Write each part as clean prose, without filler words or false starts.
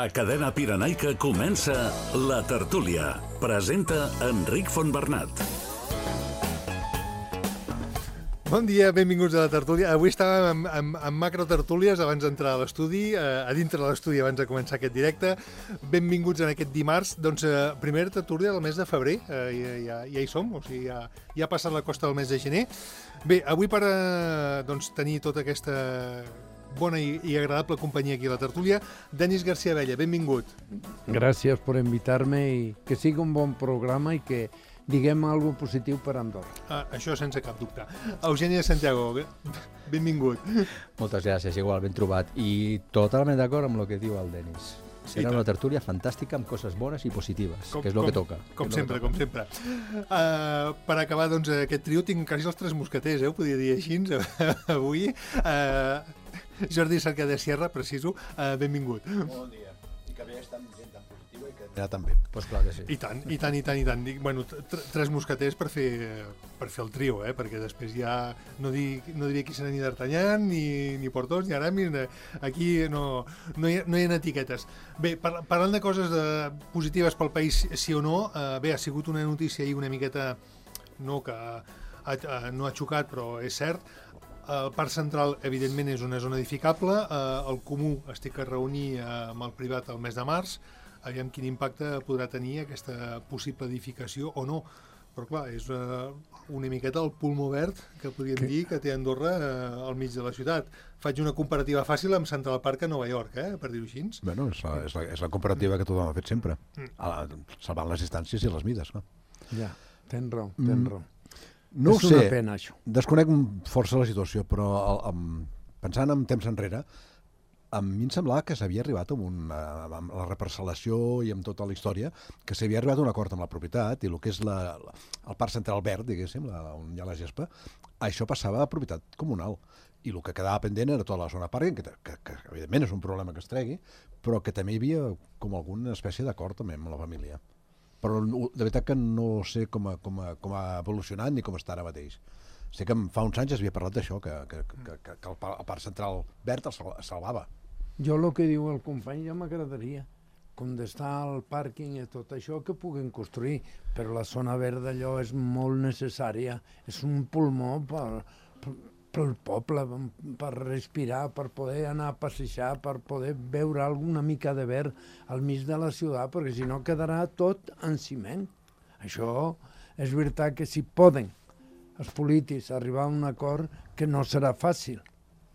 A Cadena Pirenaica comença La Tertúlia. Presenta Enric Fontbernat. Bon dia, benvinguts a La Tertúlia. Avui estàvem en macrotertúlies abans d'entrar a l'estudi, a dintre de l'estudi abans de començar aquest directe. Benvinguts en aquest dimarts. Doncs primera tertúlia del mes de febrer, ja hi som, o sigui, ja ha passat la costa del mes de gener. Bé, avui per tenir tota aquesta bona i agradable companyia aquí a La Tertúlia, Denis García Abella, benvingut. Gràcies per invitar-me i que sigui un bon programa i que diguem alguna cosa positiu per Andorra. Això sense cap dubte. Eugènia Santiago, benvingut. Moltes gràcies, igual, ben trobat. I totalment d'acord amb el que diu el Denis. Serà una tertúlia fantàstica amb coses bones i positives, que és el que toca. Com sempre. Per acabar, doncs, aquest trio tinc quasi els tres mosqueters, ho podria dir així, avui. Jordi Cercada Sierra, preciso, benvingut. Bon dia. I que bé estar amb gent tan positiva i que també. Pues clar que sí. I tant. Dic, bueno, tres mosqueters per fer el trio, perquè després ja no diria qui serà ni d'Artagnan, ni Portós, ni Aramis, aquí no hi ha etiquetes. Bé, parlant de coses positives pel país, sí o no, bé, ha sigut una notícia ahir una miqueta, no ha xocat, però és cert. El Parc Central, evidentment, és una zona edificable. El Comú es té que reunir amb el privat el mes de març. Aviam quin impacte podrà tenir aquesta possible edificació o no. Però, clar, és una miqueta el pulmó verd que podríem dir que té Andorra al mig de la ciutat. Faig una comparativa fàcil amb Central Park a Nova York, per dir-ho així. Bueno, és la comparativa que tothom ha fet sempre, salvant les distàncies i les mides. No? Ja, tens raó. No ho sé, una pena, això. Desconec força la situació, però pensant en temps enrere, a mi em semblava que s'havia arribat amb la reparcel·lació i amb tota la història, que s'havia arribat a un acord amb la propietat i el que és el Parc Central Verd, diguéssim, on hi ha la gespa, això passava a propietat comunal. I el que quedava pendent era tota la zona parking, que evidentment és un problema que es tregui, però que també hi havia com alguna espècie d'acord també amb la família. Però de veritat que no sé com ha evolucionat ni com està ara mateix. Sé que fa uns anys es havia parlat d'això, que el Parc Central Verd es salvava. Jo el que diu el company ja m'agradaria. Com d'estar al pàrquing i tot això que puguen construir, però la zona verda allò és molt necessària. És un pulmó pel poble, per respirar, per poder anar a passejar, per poder veure alguna mica de verd al mig de la ciutat, perquè si no quedarà tot en ciment. Això és veritat que si poden els polítics arribar a un acord, que no serà fàcil.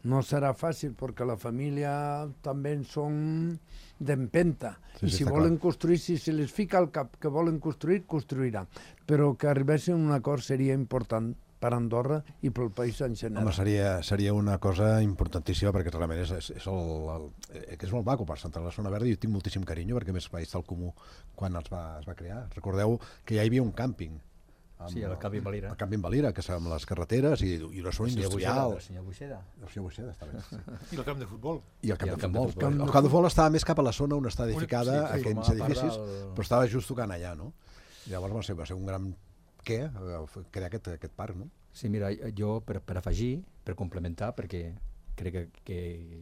No serà fàcil perquè la família també són d'empenta. I si volen construir, si se les fica al cap que volen construir, construiran. Però que arribessin a un acord seria important per Andorra i pel país en general. Home, seria una cosa importantíssima perquè realment és molt maco per Central la zona verda i jo tinc moltíssim carinyo perquè més va estar al Comú quan es va crear. Recordeu que ja hi havia un càmping. Sí, el Camping Valira. El Camping Valira, que és amb les carreteres i la zona industrial. El senyor Buixeda. El senyor Buixeda, està bé. I el camp de futbol. I el camp de futbol. El camp de futbol estava més cap a la zona on està edificada aquells edificis, però estava just tocant allà, no? Llavors va ser un gran crear aquest parc, no? Sí, mira, jo per afegir, per complementar, perquè crec que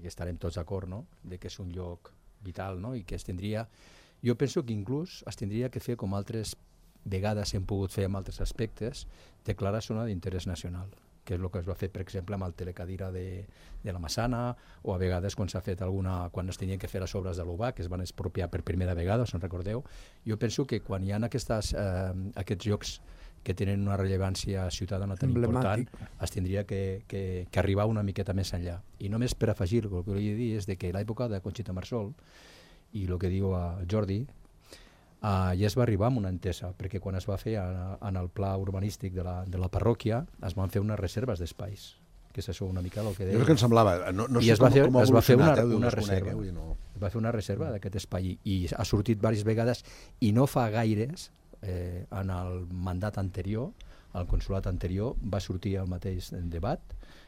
estarem tots d'acord, no?, de que és un lloc vital, no?, i que jo penso que inclús es tindria que fer com altres vegades hem pogut fer amb altres aspectes, declarar zona d'interès nacional, que és el que es va fer, per exemple, amb el telecadira de la Massana, o a vegades quan s'ha fet quan es tenien que fer les obres de l'UBA, que es van expropiar per primera vegada, us en recordeu. Jo penso que quan hi ha aquests llocs que tenen una rellevància ciutadana tan important, es tindria que arribar una miqueta més enllà. I només per afegir, el que volia dir és que l'època de Conxita Marsol, i el que diu el Jordi, ja es va arribar amb una entesa, perquè quan es va fer en el pla urbanístic de la parròquia es van fer unes reserves d'espais, que és això una mica el que deia. És el que em semblava. I es va fer una reserva. Es va fer una reserva d'aquest espai i ha sortit diverses vegades i no fa gaires, en el mandat anterior, al consulat anterior, va sortir el mateix debat.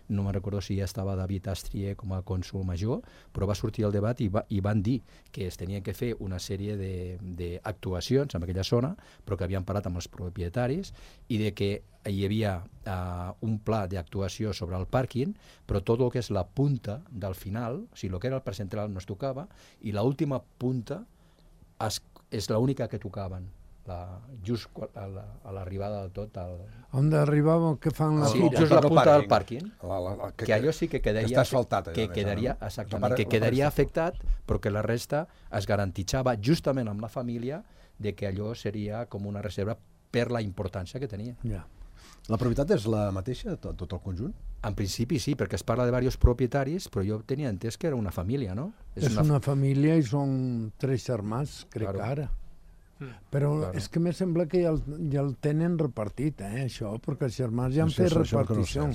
No me'n recordo si ja estava David Astrier com a cònsul major, però va sortir el debat i van dir que es tenien que fer una sèrie d'actuacions en aquella zona, però que havien parlat amb els propietaris i de que hi havia un pla d'actuació sobre el pàrquing, però tot el que és la punta del final, o sigui, el que era el parc central no es tocava, i l'última punta és l'única que tocaven. Just a l'arribada del tot on arribava que fan la fira, just la punta del pàrquing, que allò sí que quedaria, està asfaltat, que quedaria, exactament, que quedaria afectat, però que la resta es garantitxava justament amb la família de que allò seria com una reserva per la importància que tenia. La propietat és la mateixa, tot el conjunt? En principi sí, perquè es parla de diversos propietaris, però jo tenia entès que era una família, no? És una família i són 3 germans, crec que ara. Però és que me sembla que ja el tenen repartit, això, perquè els germans ja han fet repartició.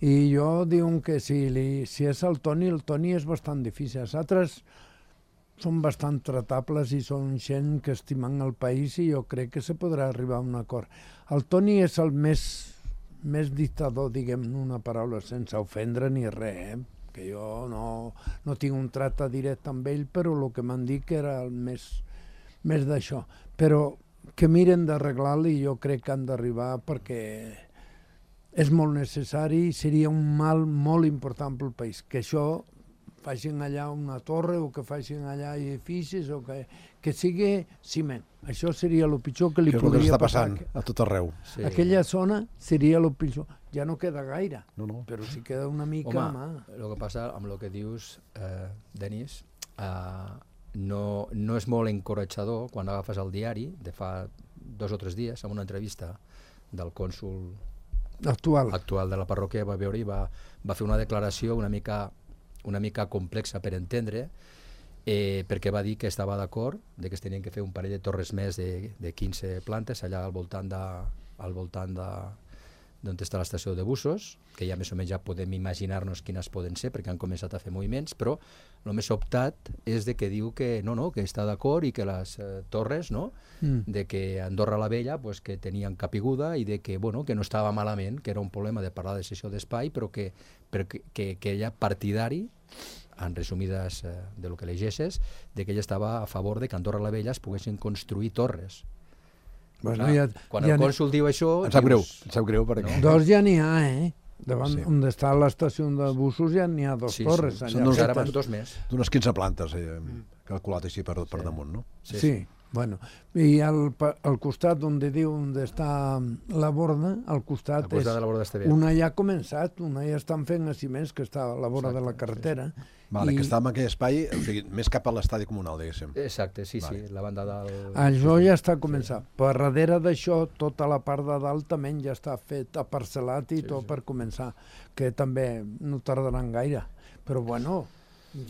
I jo diuen que si és el Toni és bastant difícil. Els altres són bastant tratables i són gent que estimen el país i jo crec que se podrà arribar a un acord. El Toni és el més dictador, diguem una paraula, sense ofendre ni res, que jo no tinc un tracte directe amb ell, però el que m'han dit que era el més d'això, però que miren d'arreglar-lo i jo crec que han d'arribar perquè és molt necessari i seria un mal molt important pel país, que això facin allà una torre o que facin allà edificis o que sigui ciment. Això seria el pitjor que li podria passar. Que és el que està passant a tot arreu. Aquella zona seria el pitjor. Ja no queda gaire, però si queda una mica... Home, el que passa amb el que dius, Denis, no és molt encoratjador quan agafes el diari de fa 2 o 3 dies amb una entrevista del cònsul actual de la parròquia, va veure i va fer una declaració una mica complexa per entendre, perquè va dir que estava d'acord de que es tenien que fer un parell de torres més de 15 plantes allà al voltant d'on està l'estació de busos, que ja més o menys ja podem imaginar-nos quines poden ser, perquè han començat a fer moviments, però el més optat és de que diu que que està d'acord i que les torres, de que Andorra la Vella, que tenien capiguda i de que no estava malament, que era un problema de parlar de cessió d'espai, però que ella partidari, en resumides de lo que llegeixes, de que ella estava a favor de que Andorra la Vella es poguessin construir torres. Quan el cònsul diu això... Em sap greu perquè... 2 ja n'hi ha, davant on està l'estació de busos ja n'hi ha 2 torres. Ara van 2 més. D'unes 15 plantes, calculat així per damunt, no? Sí, bueno. I al costat on diu on està la borda, al costat és... Una ja ha començat, una ja estan fent a ciments, que està a la vora de la carretera. Que està en aquell espai, més cap a l'estadi comunal, diguéssim. Exacte, sí, la banda del... Això ja està començat. Per darrere d'això, tota la part de dalt també ja està fet, aparcel·lat i tot per començar, que també no tardaran gaire. Però bueno,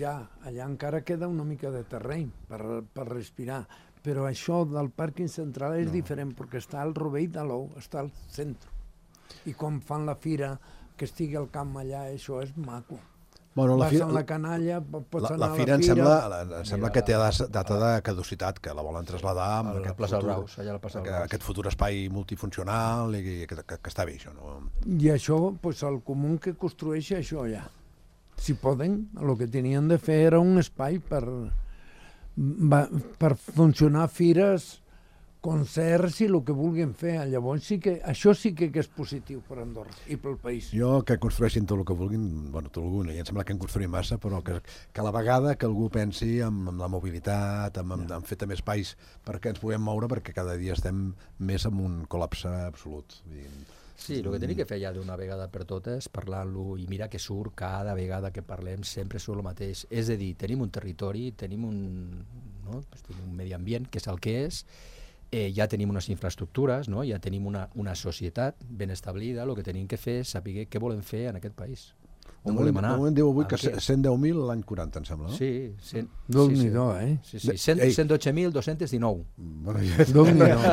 ja, allà encara queda una mica de terreny per respirar. Però això del pàrquing central és diferent, perquè està al rovell de l'ou, està al centre. I quan fan la fira, que estigui al camp allà, això és maco. Vas a la canalla, pots anar a la fira... Em sembla que té data de caducitat, que la volen traslladar amb aquest futur espai multifuncional i que està bé, això. I això, el comú que construeix això ja. Si poden, el que tenien de fer era un espai per funcionar fires, concerts i el que vulguin fer. Llavors això sí que és positiu per Andorra i pel país. Jo que construeixin tot el que vulguin, tot algun, i em sembla que en construïm massa, però que a la vegada que algú pensi en la mobilitat, en fer també espais perquè ens puguem moure, perquè cada dia estem més en un col·lapse absolut. Sí, el que tenim que fer ja d'una vegada per totes, parlar-lo, i mira que surt cada vegada que parlem, sempre surt el mateix. És a dir, tenim un territori, tenim un medi ambient, que és el que és, ja tenim unes infraestructures, ja tenim una societat ben establida, el que tenim que fer és saber què volem fer en aquest país. On volem anar? De moment diu avui que 110.000 l'any 40, em sembla, no? Sí. Déu-n'hi-do, 112.219.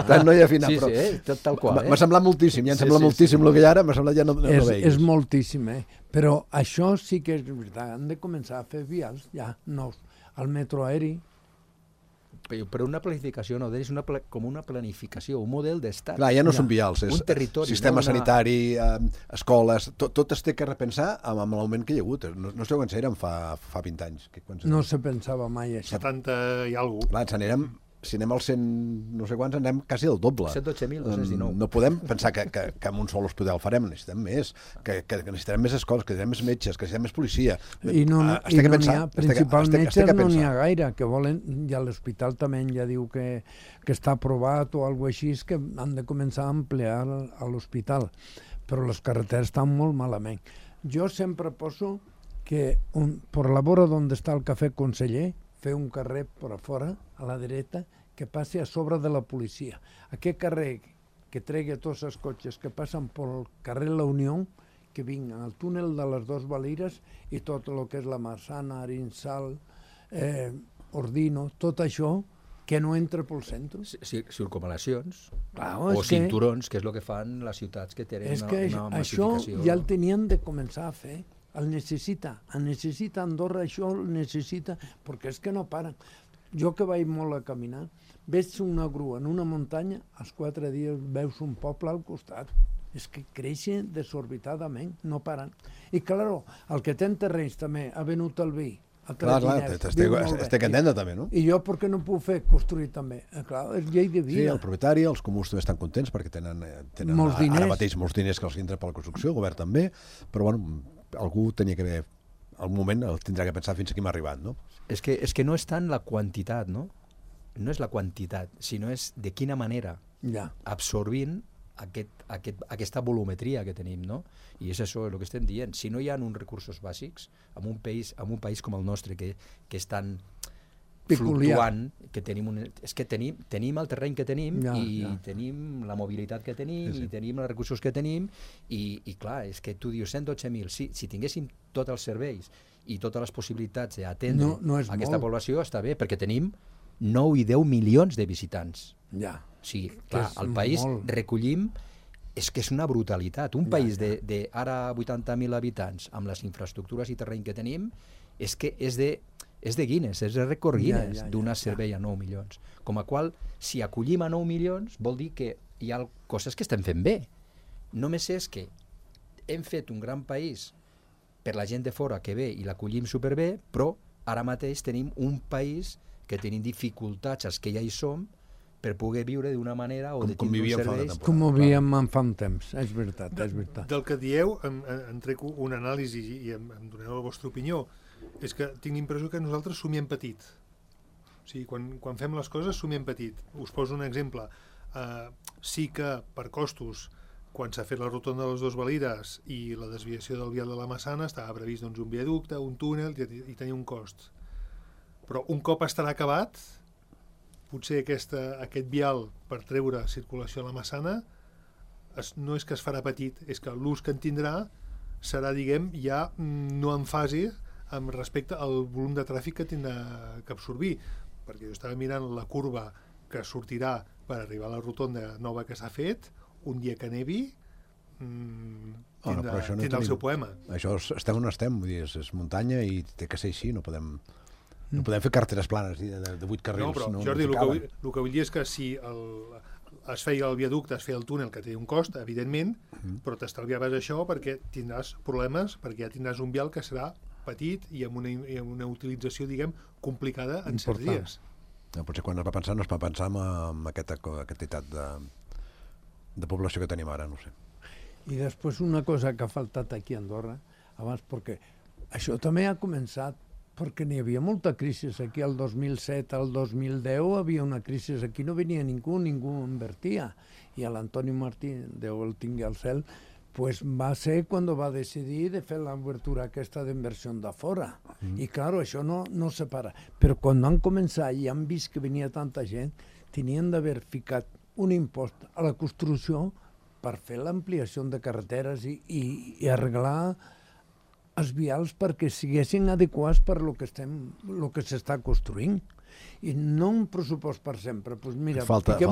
Tant no hi ha final, però... Sí, tal qual. M'ha semblat moltíssim, ja em sembla moltíssim el que hi ha ara, m'ha semblat ja no veig. És moltíssim, però això sí que és veritat, han de començar a fer vials ja nous. El metro aeri, però una planificació no, és com una planificació, un model d'estat. Clar, ja no són vials, és un territori, sistema sanitari, escoles, tot es té que repensar amb l'augment que hi ha hagut. No sé quan s'érem fa 20 anys. No se pensava mai això. 70 i alguna cosa. Clar, si anem als 100 no sé quants, anem quasi el doble. 112.219. No podem pensar que amb un sol hospital farem, necessitem més, que necessitarem més escoles, que necessitem més metges, que necessitem més policia. I no n'hi ha, principals metges no n'hi ha gaire, que volen, i a l'hospital també ja diu que està aprovat o alguna cosa així, que han de començar a ampliar a l'hospital, però les carreteres estan molt malament. Jo sempre poso que per la vora d'on està el cafè conseller, fer un carrer per a fora, a la dreta, que passi a sobre de la policia. Aquest carrer que tregui tots els cotxes que passen pel carrer La Unió, que vinguen al túnel de les Dos Valires i tot el que és la Massana, Arinsal, Ordino, tot això que no entra pel centre. Circunvalacions o cinturons, que és el que fan les ciutats que tenen una massificació. Això ja el tenien de començar a fer. El necessita Andorra, això el necessita, perquè és que no paren. Jo que vaig molt a caminar, veig una grua en una muntanya, als 4 dies veus un poble al costat. És que creixen desorbitadament, no paren. I, claro, el que té terrenys també ha venut el vi, Clar, estic contenta també, no? I jo per què no puc fer construir també? Clar, és llei de vida. Sí, el propietari, els comuns també estan contents perquè tenen ara mateix molts diners que els entra per la construcció, el govern també, però bueno, algú tenia que haver, algun moment el tindrà que pensar fins aquí m'ha arribat, no? És que no és tant la quantitat, no? No és la quantitat, sinó és de quina manera absorbint aquesta volumetria que tenim, no? I és això el que estem dient. Si no hi ha uns recursos bàsics, en un país com el nostre, que és tan fluctuant, que tenim el terreny que tenim tenim la mobilitat que tenim i tenim els recursos que tenim i clar, és que tu dius 112.000, si tinguéssim tots els serveis i totes les possibilitats d'atendre aquesta població, està bé, perquè tenim 9 i 10 milions de visitants. Sí, clar, al país recollim, és que és una brutalitat. Un país de ara 80.000 habitants, amb les infraestructures i terreny que tenim, és que és de Guinness, és de rècord Guinness donar servei a 9 milions. Com a qual, si acollim a 9 milions, vol dir que hi ha coses que estem fent bé. Només és que hem fet un gran país per la gent de fora que ve i l'acollim superbé, però ara mateix tenim un país que tenim dificultats, els que ja hi som, per poder viure d'una manera o de tindre uns serveis. Com ho vivíem fa un temps, és veritat. Del que dieu, em trec un anàlisi i em doneu la vostra opinió. És que tinc l'impressió que nosaltres somiem petit. O sigui, quan fem les coses somiem petit. Us poso un exemple. Sí que per costos, quan s'ha fet la rotonda de les Dos Valires i la desviació del vial de la Massana, estava previst un viaducte, un túnel i tenia un cost. Però un cop estarà acabat, potser aquest vial per treure circulació a la Massana no és que es farà petit, és que l'ús que en tindrà serà, diguem, ja no en fase amb respecte al volum de tràfic que tindrà que absorbir, perquè jo estava mirant la curva que sortirà per arribar a la rotonda nova que s'ha fet, un dia que nevi tindrà el seu poema. Això estem on estem, vull dir, és muntanya i té que ser així, no podem fer carreteres planes de 8 carrils. No, però Jordi, el que vull dir és que si es feia el viaducte, es feia el túnel, que té un cost, evidentment, però t'estalviaves això perquè tindràs problemes, perquè ja tindràs un vial que serà petit i amb una utilització, diguem, complicada en certs dies. Potser quan es va pensar no es va pensar en aquesta quantitat de població que tenim ara, no sé. I després una cosa que ha faltat aquí a Andorra, abans, perquè això també ha començat perquè n'hi havia molta crisi aquí, el 2007, el 2010 havia una crisi aquí, no venia ningú invertia, i l'Antoni Martí, Déu el tingui al cel, pues va ser quan va decidir de fer l'obertura aquesta d'inversió de fora. I clar, això no se para. Però quan van començar i han vist que venia tanta gent, tenien d'haver ficat un impost a la construcció per fer l'ampliació de carreteres i arreglar els vials perquè siguessin adequats per lo que s'està construint. I no un pressupost per sempre. Pues mira, fiquem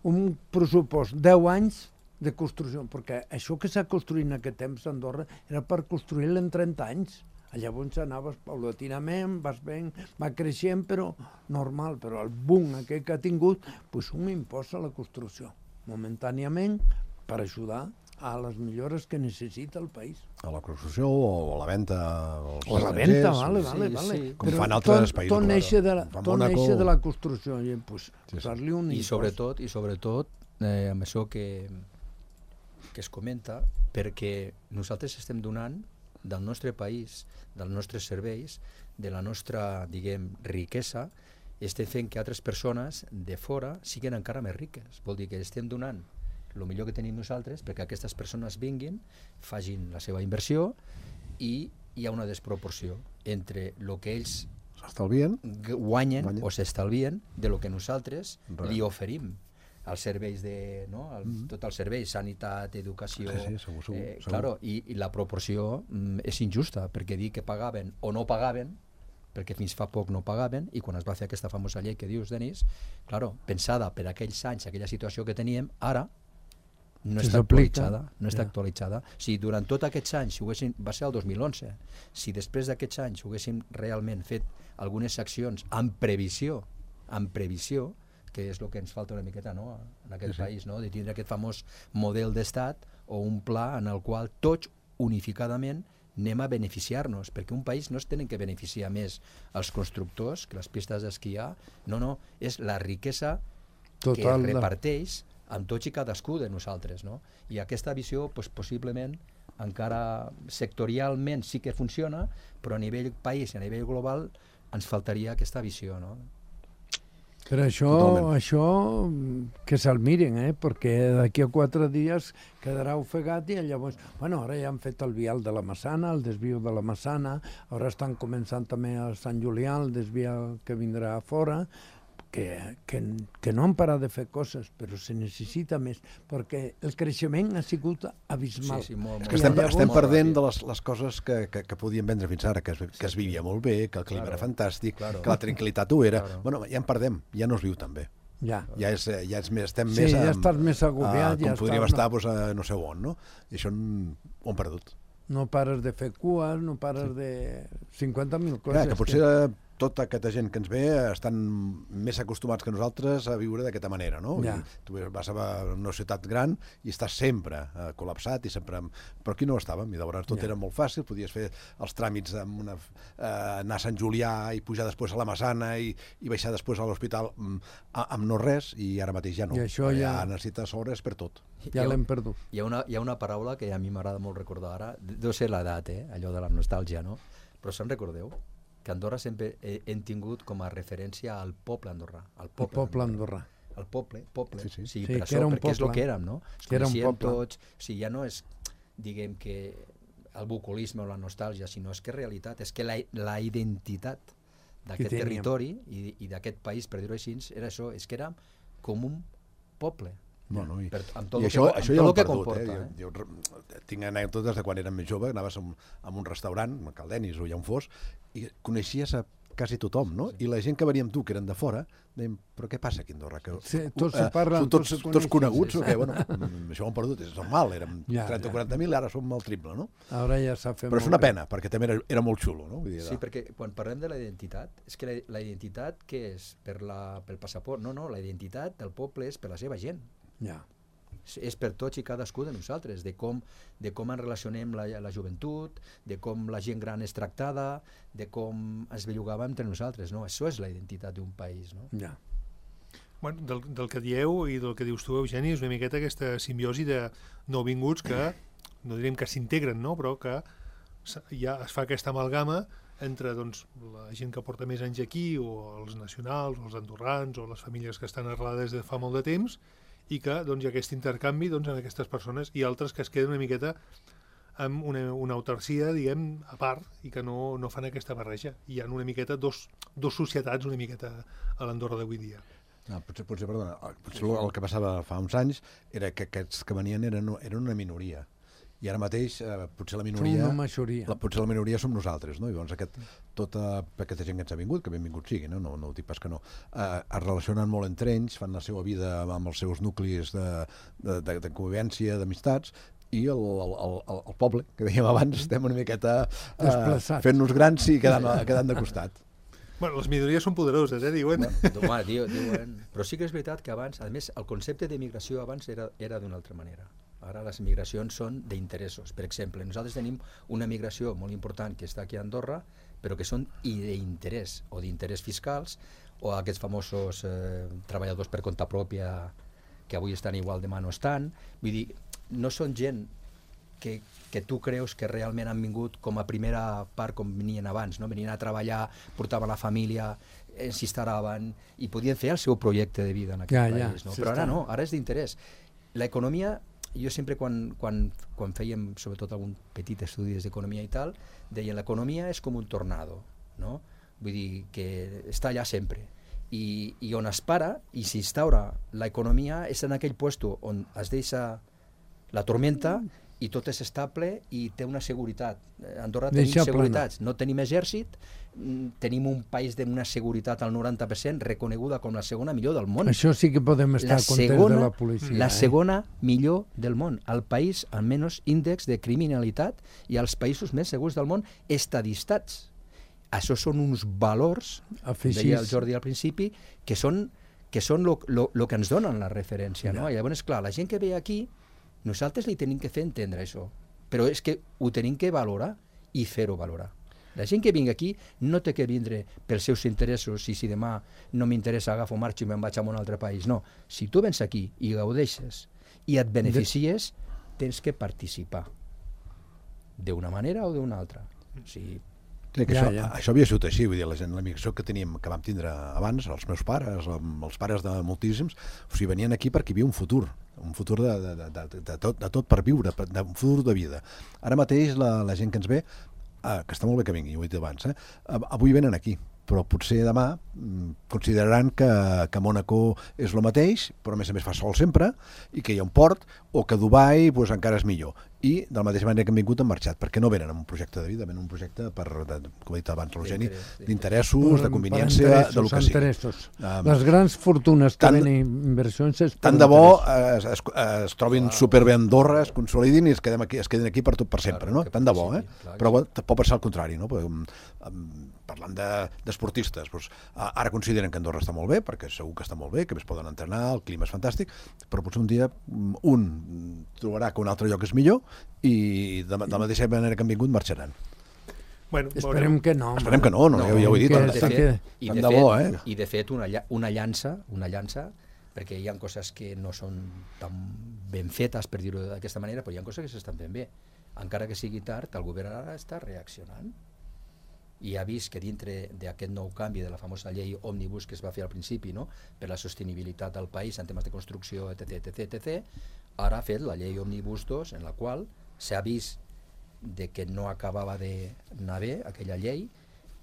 un pressupost 10 anys de construcció, perquè això que s'ha construït en aquest temps a Andorra era per construir-lo en 30 anys. Llavors anaves paulatinament, va creixent, però normal, però el boom aquest que ha tingut, pues un impost a la construcció, momentàniament, per ajudar a les millores que necessita el país. A la construcció o a la venda als O a la venda, estrangers, vale. com fan altres països. Tot neix de la construcció, i pues, posar-li un impost. I sobretot, amb això que es comenta, perquè nosaltres estem donant del nostre país, dels nostres serveis, de la nostra, diguem, riquesa, estem fent que altres persones de fora siguin encara més riques. Vol dir que estem donant el millor que tenim nosaltres perquè aquestes persones vinguin, facin la seva inversió i hi ha una desproporció entre el que ells guanyen o s'estalvien de lo que nosaltres li oferim als serveis tot el servei, sanitat, educació, segur. Claro, i la proporció és injusta, perquè dir que pagaven o no pagaven, perquè fins fa poc no pagaven, i quan es va fer aquesta famosa llei que dius, Denis, claro, pensada per aquells anys, aquella situació que teníem, ara no està actualitzada. Si durant tots aquests anys, va ser el 2011, si després d'aquests anys haguéssim realment fet algunes accions amb previsió, que és el que ens falta una miqueta en aquest país, de tindre aquest famós model d'estat o un pla en el qual tots unificadament anem a beneficiar-nos, perquè un país no es tenen que beneficiar més els constructors que les pistes d'esquiar, no, és la riquesa que es reparteix amb tots i cadascú de nosaltres, no? I aquesta visió, possiblement, encara sectorialment sí que funciona, però a nivell país i a nivell global ens faltaria aquesta visió, no? Per això que se'l miren, perquè d'aquí a 4 dies quedarà ofegat i llavors, ara ja han fet el vial de la Massana, el desvio de la Massana, ara estan començant també a Sant Julià, el desvial que vindrà a fora, que no han parat de fer coses, però se necessita més, perquè el creixement ha sigut abismal. Sí, molt. És que estem perdent de les coses que podíem vendre fins ara, que es vivia molt bé, que el clima era fantàstic, que la tranquil·litat ho era. Bueno, ja en perdem, ja no es viu tan bé. Ja és més, estem més... Sí, ja estàs més agobiat. Com podríem estar a no sé on, no? I això ho hem perdut. No pares de fer cues, no pares de 50.000 coses. Que potser tota aquesta gent que ens ve estan més acostumats que nosaltres a viure d'aquesta manera, no? Tu vas a una ciutat gran i estàs sempre col·lapsat, però aquí no estàvem, i llavors tot era molt fàcil, podies fer els tràmits anar a Sant Julià i pujar després a la Massana i baixar després a l'hospital amb no res, i ara mateix ja no. Ja necessites hores per tot. Ja l'hem perdut. Hi ha una paraula que a mi m'agrada molt recordar ara, deu ser l'edat, allò de la nostàlgia, no? Però se'n recordeu? Que Andorra sempre hem tingut com a referència al poble andorrà. El poble andorrà. El poble, sí, per això, perquè és el que érem, no? Ens coneixíem tots, ja no és, diguem, que el bucolisme o la nostàlgia, sinó és que realitat, és que la identitat d'aquest territori i d'aquest país, per dir-ho així, era això, és que érem com un poble. I això ja ho hem perdut. Jo tinc anècdotes de quan érem més jove, anaves a un restaurant, a Caldenis o ja on fos, i coneixies a quasi tothom, no? I la gent que venia amb tu, que eren de fora, deien, però què passa aquí a Andorra? Són tots coneguts o què? Bueno, això ho hem perdut, és normal, érem 30 o 40.000, ara som el triple, no? Ara ja s'ha fet. Però és una pena, perquè també era molt xulo, no? Sí, perquè quan parlem de la identitat, és que la identitat què és? Pel passaport? No, la identitat del poble és per la seva gent. És per tots i cadascú de nosaltres, de com ens relacionem la joventut, de com la gent gran és tractada, de com es bellugava entre nosaltres, no? Això és la identitat d'un país, no? Bueno, del que dieu i del que dius tu, Eugeni, és una miqueta aquesta simbiosi de nouvinguts que, no direm que s'integren, no? Però que ja es fa aquesta amalgama entre la gent que porta més anys aquí, o els nacionals, o els andorrans, o les famílies que estan arrelades de fa molt de temps, i que hi ha aquest intercanvi en aquestes persones, i altres que es queden una miqueta amb una autarcia, diguem, a part, i que no fan aquesta barreja. Hi ha una miqueta dos societats una miqueta a l'Andorra d'avui dia. Potser el que passava fa uns anys era que aquests que venien eren una minoria. I ara mateix potser la minoria som nosaltres, no? I llavors tota aquesta gent que ens ha vingut, que benvingut sigui, no ho dic pas que no, es relacionen molt entre ells, fan la seva vida amb els seus nuclis de convivència, d'amistats, i el poble, que dèiem abans, estem una miqueta desplaçats, fent-nos grans i quedant de costat. Bueno, les minories són poderoses, diuen. Diuen. Però sí que és veritat que abans, a més, el concepte d'emigració abans era d'una altra manera. Ara les migracions són d'interessos. Per exemple, nosaltres tenim una migració molt important que està aquí a Andorra, però que són d'interès, o d'interès fiscals, o aquests famosos treballadors per compte pròpia que avui estan igual, demà no estan. Vull dir, no són gent que tu creus que realment han vingut com a primera part com venien abans, no? Venien a treballar, portaven la família, s'instal·laven i podien fer el seu projecte de vida en aquest país. No? Però ara no, ara és d'interès. L'economia, jo sempre quan fèiem sobretot algun petit estudi d'economia i tal, deien l'economia és com un tornado, no? Vull dir que està allà sempre. I on es para i s'instaura l'economia és en aquell puesto on es deixa la tormenta i tot és estable i té una seguretat. A Andorra tenim seguretats, no tenim exèrcit, tenim un país d'una seguretat al 90% reconeguda com la segona millor del món. Això sí que podem estar contents de la policia. La segona millor del món. El país amb menys índex de criminalitat i els països més segurs del món estadistats. Això són uns valors, deia el Jordi al principi, que són el que ens donen la referència. No? I llavors, clar, la gent que ve aquí, nosaltres li tenim que fer entendre això, però és que ho tenim que valorar i fer-ho valorar. La gent que vingui aquí no té que vindre pels seus interessos i si demà no m'interessa agafo marxo i me'n vaig a un altre país. No, si tu vens aquí i gaudeixes i et beneficies, tens que participar d'una manera o d'una altra. O sigui, això havia sigut així, vull dir, la migració que vam tindre abans, els meus pares, els pares de moltíssims, o sigui, venien aquí perquè hi havia un futur de tot per viure, un futur de vida. Ara mateix la gent que ens ve, que està molt bé que vingui, ho he dit abans, avui venen aquí, però potser demà consideraran que Mònaco és el mateix, però a més fa sol sempre, i que hi ha un port, o que Dubai encara és millor. I de la mateixa manera que han vingut han marxat, perquè no venen amb un projecte de vida, venen un projecte, com ha dit abans l'Eugeni, d'interessos, de conveniència, de lo que sigui. Les grans fortunes que venen inversions... Tant de bo es trobin superbé a Andorra, es consolidin i es quedin aquí per sempre, no? Tant de bo, però pot passar al contrari, no? Parlant d'esportistes, ara consideren que Andorra està molt bé, perquè segur que està molt bé, que més poden entrenar, el clima és fantàstic, però potser un dia un trobarà que un altre lloc és millor i de la mateixa manera que han vingut marxaran. Bueno, esperem que no. Esperem que no, ja ho he dit. I de fet una llança, perquè hi ha coses que no són tan ben fetes, per dir-ho d'aquesta manera, però hi ha coses que s'estan fent bé. Encara que sigui tard, el govern ara està reaccionant i ha vist que dintre d'aquest nou canvi de la famosa llei òmnibus que es va fer al principi, no? Per la sostenibilitat del país en temes de construcció, etc., ara ha fet la llei òmnibus 2, en la qual s'ha vist que no acabava d'anar bé aquella llei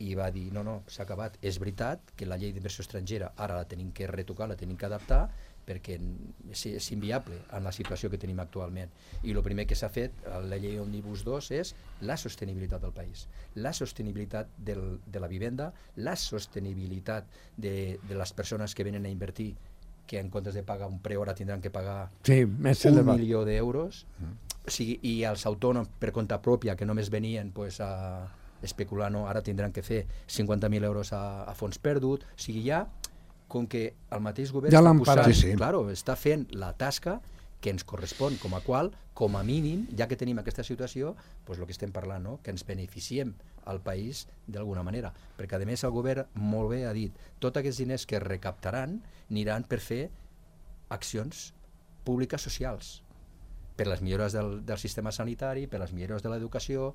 i va dir, no, s'ha acabat. És veritat que la llei d'inversió estrangera ara la tenim que retocar, la tenim que adaptar, perquè és inviable en la situació que tenim actualment. I el primer que s'ha fet a la llei Òmnibus 2 és la sostenibilitat del país, la sostenibilitat de la vivenda, la sostenibilitat de les persones que venen a invertir, que en comptes de pagar un preu ara tindran que pagar 1 milió d'euros, i els autònoms per compte pròpia que només venien a especular, ara tindran que fer 50.000 euros a fons perdut. O sigui, ja com que el mateix govern està fent la tasca que ens correspon, com a mínim, ja que tenim aquesta situació, el que estem parlant, que ens beneficiem al país d'alguna manera, perquè a més el govern molt bé ha dit, tots aquests diners que es recaptaran aniran per fer accions públiques socials, per les millores del sistema sanitari, per les millores de l'educació,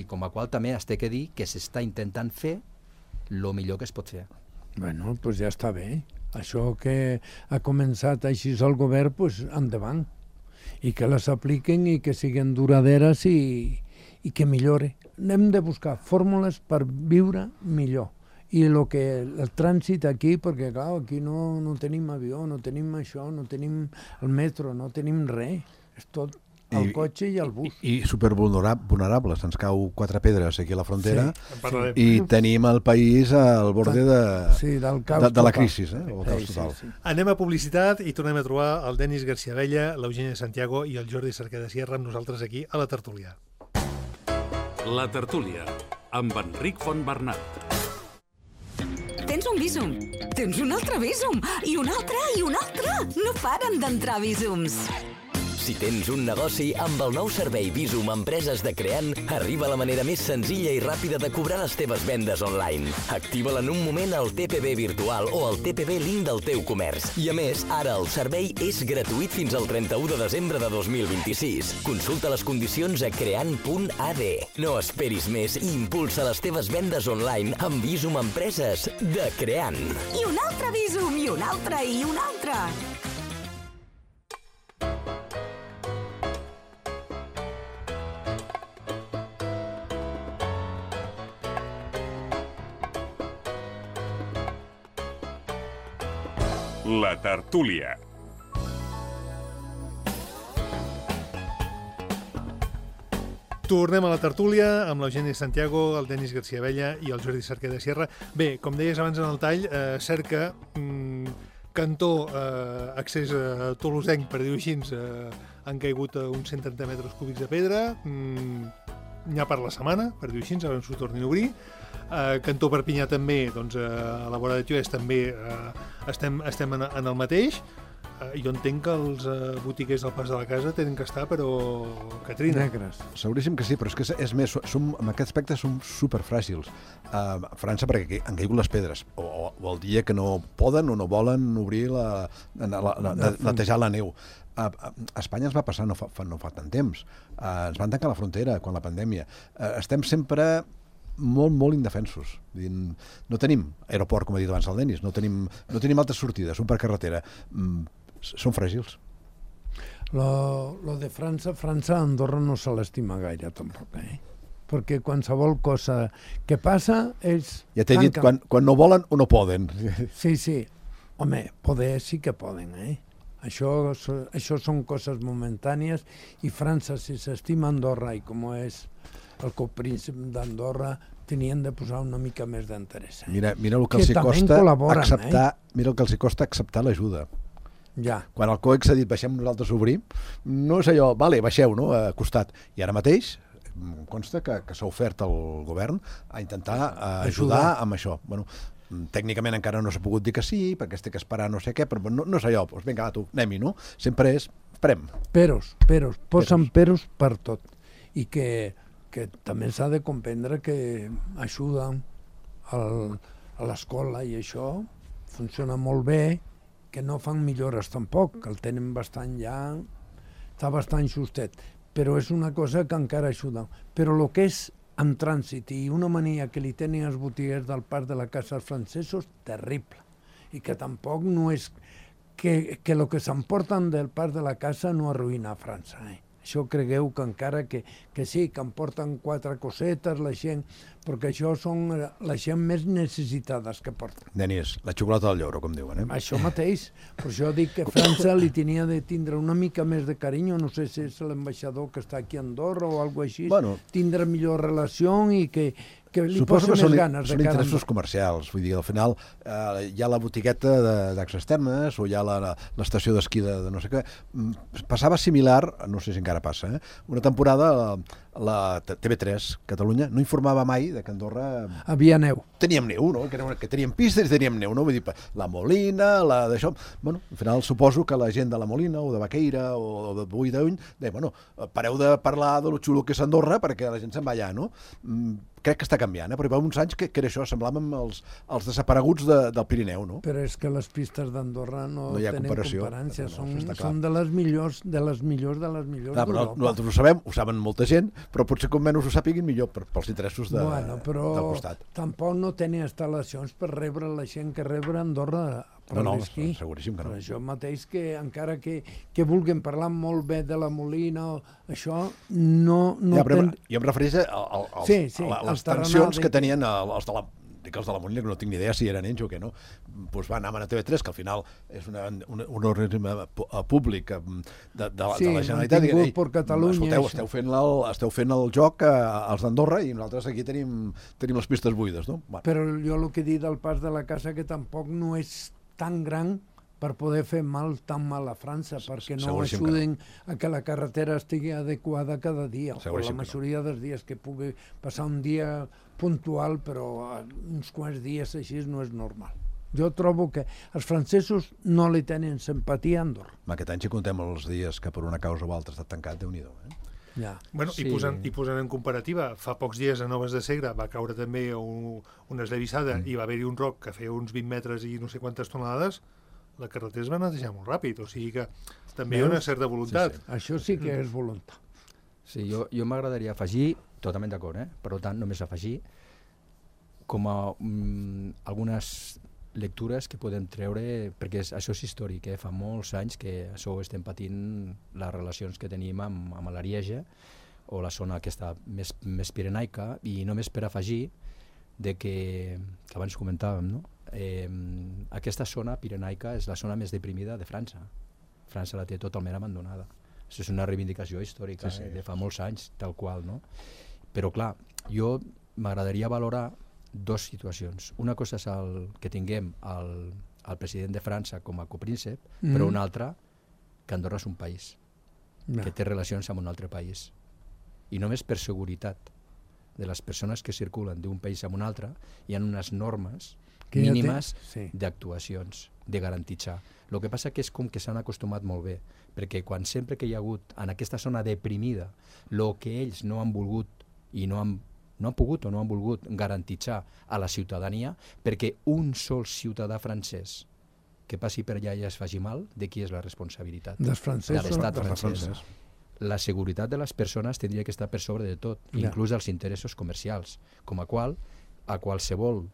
com a qual també es té que dir que s'està intentant fer el millor que es pot fer. Bueno, doncs ja està bé. Això que ha començat així el govern, doncs endavant. I que les apliquen i que siguin duraderes i que millore. Hem de buscar fórmules per viure millor. I el trànsit aquí, perquè clar, aquí no tenim avió, no tenim això, no tenim el metro, no tenim res. És tot el cotxe i el bus. I supervulnerables. Ens cau 4 pedres aquí a la frontera parlarem. i tenim el país al borde del caos de la crisi, el caos total. Anem a publicitat i tornem a trobar el Denis García Vella, l'Eugènia Santiago i el Jordi Cerqueda Sierra amb nosaltres aquí a la tertúlia. La tertúlia, amb Enric Fontbernat. Tens un Bizum, tens un altre Bizum, i un altre, i un altre. No paren d'entrar Bizums. Si tens un negoci, amb el nou servei Bizum Empreses de Creant, arriba la manera més senzilla i ràpida de cobrar les teves vendes online. Activa-la en un moment al TPB virtual o al TPB link del teu comerç. I a més, ara el servei és gratuït fins al 31 de desembre de 2026. Consulta les condicions a creant.ad. No esperis més i impulsa les teves vendes online amb Bizum Empreses de Creant. I un altre Bizum, i un altre, i un altre. La tertúlia. Tornem a la tertúlia amb l'Eugènia Santiago, el Denis García Vella i el Jordi Cerqueda Sierra. Bé, com deies abans en el tall, cerca cantó accés a Tolosenc, per dir-ho així, han caigut uns 130 metres cúbics de pedra, n'hi ha per la setmana, per dir-ho així, a veure si ho tornin a obrir. Cantó Perpinyà també, doncs a la vora de Tioès també estem en el mateix. Jo entenc que els botiguers del Pas de la Casa tenen que estar, però Catrina. Negres. Seguríssim que sí, però és que és més, en aquest aspecte som superfràgils. A França, perquè han caigut les pedres, o el dia que no poden o no volen obrir netejar la neu. A Espanya ens va passar no fa tant temps. Ens van tancar la frontera quan la pandèmia. Estem sempre molt indefensos. No tenim aeroport, com ha dit abans el Denis, no tenim altres sortides, per carretera. Són fràgils. Lo de França, Andorra no se l'estima gaire, tampoc, perquè qualsevol cosa que passa, ells... Ja t'he dit, quan no volen o no poden. Sí. Home, poder sí que poden, Això són coses momentànies, i França, si s'estima Andorra, i com és el copríncep d'Andorra, tenien de posar una mica més d'interès. Mira el que els costa acceptar l'ajuda. Ja. Quan el COEX ha dit baixem nosaltres obrim, no és allò, vale, baixeu, no?, a costat. I ara mateix em consta que s'ha ofert al govern a intentar ajudar amb això. Bueno, tècnicament encara no s'ha pogut dir que sí, perquè es té que esperar no sé què, però no és allò, doncs vinga, tu, anem-hi, no? Sempre és, esperem. Peros, posen peros per tot. I que també s'ha de comprendre que ajuden a l'escola i això funciona molt bé, que no fan millores tampoc, que el tenen bastant ja, està bastant justet, però és una cosa que encara ajuda. Però el que és en trànsit i una mania que li tenen els botiguers del Parc de la Casa als francesos, terrible. I que tampoc no és que el que s'emporten del Parc de la Casa no arruïna a França, Això cregueu que encara que sí, que em porten 4 cosetes la gent, perquè això són la gent més necessitades que porten. Denis, la xocolata del lloro, com diuen, Això mateix. Per això dic que França li tenia de tindre una mica més de carinyo, no sé si és l'ambaixador que està aquí a Andorra o alguna cosa així, tindre millor relació i que li posa més ganes de són cara. interessos comercials, vull dir, al final hi ha la botigueta d'Axes Termes o hi ha l'estació d'esquí de no sé què. Passava similar, no sé si encara passa, una temporada la TV3 Catalunya no informava mai de que Andorra havia neu. Teníem neu, no? Que teníem pistes i teníem neu, no? Vull dir, la Molina, d'això... Bueno, al final suposo que la gent de la Molina o de Baqueira o de Boí-d'Uny deia, bueno, pareu de parlar de lo xulo que és Andorra perquè la gent se'n va allà, no? Crec que està canviant, però hi va uns anys que era això, semblàvem els desapareguts del Pirineu, no? Però és que les pistes d'Andorra no tenen comparació, no, són de les millors d'Europa. Nosaltres ho sabem, ho saben molta gent, però potser com menys ho sàpiguin millor pels interessos del costat. Però tampoc no tenen instal·lacions per rebre la gent que rebre Andorra per l'esquí. Seguríssim que no. Per això mateix que encara que vulguin parlar molt bé de la Molina, això no... Jo em refereix a les tensions que tenien els de dic els de la Molina, que no tinc ni idea si eren ells o què no, doncs van anar a TV3, que al final és un organisme públic de la Generalitat. Sí, mantingut per Catalunya. Escolteu, esteu fent el joc als d'Andorra i nosaltres aquí tenim les pistes buides, no? Bueno. Però jo el que he dit del pas de la casa que tampoc no és tan gran per poder fer tan mal a França, perquè no ajuden a que la carretera estigui adequada cada dia, o la majoria dels dies, que pugui passar un dia puntual, però uns quants dies així no és normal. Jo trobo que els francesos no li tenen simpatia a Andorra. Aquest any, si contem els dies que per una causa o altra ha estat tancat, Déu-n'hi-do, Ja. Bueno, sí. I posant en comparativa, fa pocs dies a Noves de Segre va caure també una esllavissada i va haver-hi un roc que feia uns 20 metres i no sé quantes tonelades, la carretera es va netejar molt ràpid, o sigui que també hi ha una certa voluntat. Sí. Això sí que és voluntat. Sí, jo m'agradaria afegir, totalment d'acord, per tant només afegir, com a algunes lectures que podem treure, perquè això és històric, fa molts anys que això ho estem patint, les relacions que tenim amb l'Arieja o la zona aquesta més pirenaica, i només per afegir que abans comentàvem, no? Aquesta zona pirenaica és la zona més deprimida de França. França la té totalment abandonada. Això és una reivindicació històrica de fa molts anys, tal qual, no? Però clar, jo m'agradaria valorar dues situacions. Una cosa és que tinguem el president de França com a copríncep, però una altra, que Andorra és un país, que té relacions amb un altre país. I només per seguretat de les persones que circulen d'un país a un altre hi ha unes normes mínimes d'actuacions, de garantir-se. El que passa que és com que s'han acostumat molt bé, perquè sempre que hi ha hagut en aquesta zona deprimida el que ells no han volgut i no han pogut o no han volgut garantir-se a la ciutadania, perquè un sol ciutadà francès que passi per allà i es faci mal, de qui és la responsabilitat? Dels francesos. De l'estat francès. La seguretat de les persones tindria que estar per sobre de tot, inclús els interessos comercials, com a qualsevol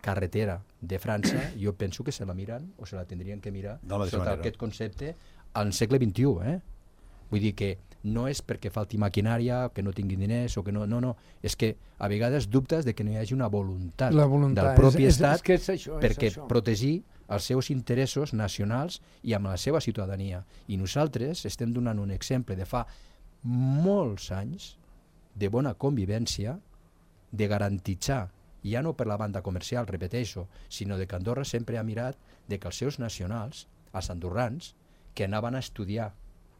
carretera de França, jo penso que se la miren o se la tindrien que mirar sota aquest concepte al segle XXI. Vull dir que no és perquè falti maquinària, que no tinguin diners o que no, és que a vegades dubtes de que no hi hagi una voluntat del propi estat perquè protegir els seus interessos nacionals i amb la seva ciutadania. I nosaltres estem donant un exemple de fa molts anys de bona convivència, de garantir-se, ja no per la banda comercial, repeteixo, sinó de que Andorra sempre ha mirat de que els seus nacionals, els andorrans, que anaven a estudiar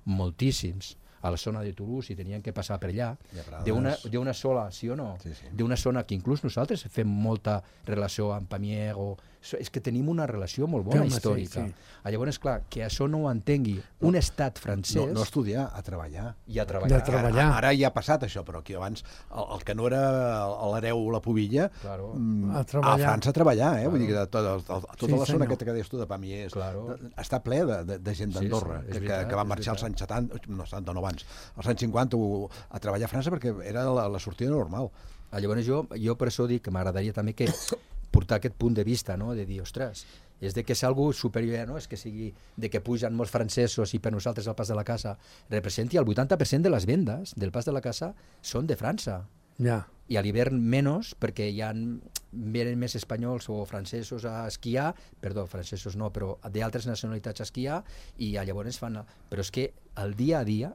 moltíssims a la zona de Toulouse i tenien que passar per allà, d'una sola, sí o no? D'una zona que inclús nosaltres fem molta relació amb Pamiers, és que tenim una relació molt bona històrica. Llavors, clar, que això no ho entengui un estat francès... No estudiar, a treballar. I a treballar. Ara ja ha passat això, però aquí abans el que no era l'hereu o la pubilla, a França a treballar, vull dir que tota la zona aquesta que deies tu de Pamiers està ple de gent d'Andorra que va marxar als anys 70, no 70, no abans, als anys 50 a treballar a França perquè era la sortida normal. Llavors jo per això dic que m'agradaria també que portar aquest punt de vista, de dir, ostres, és de que és algo superior, és que sigui de que pugen molts francesos i per nosaltres el Pas de la Casa representi el 80% de les vendes del Pas de la Casa són de França. I a l'hivern menys, perquè venen més espanyols o francesos a esquiar, francesos no, però d'altres nacionalitats a esquiar, i llavors fan... Però és que el dia a dia,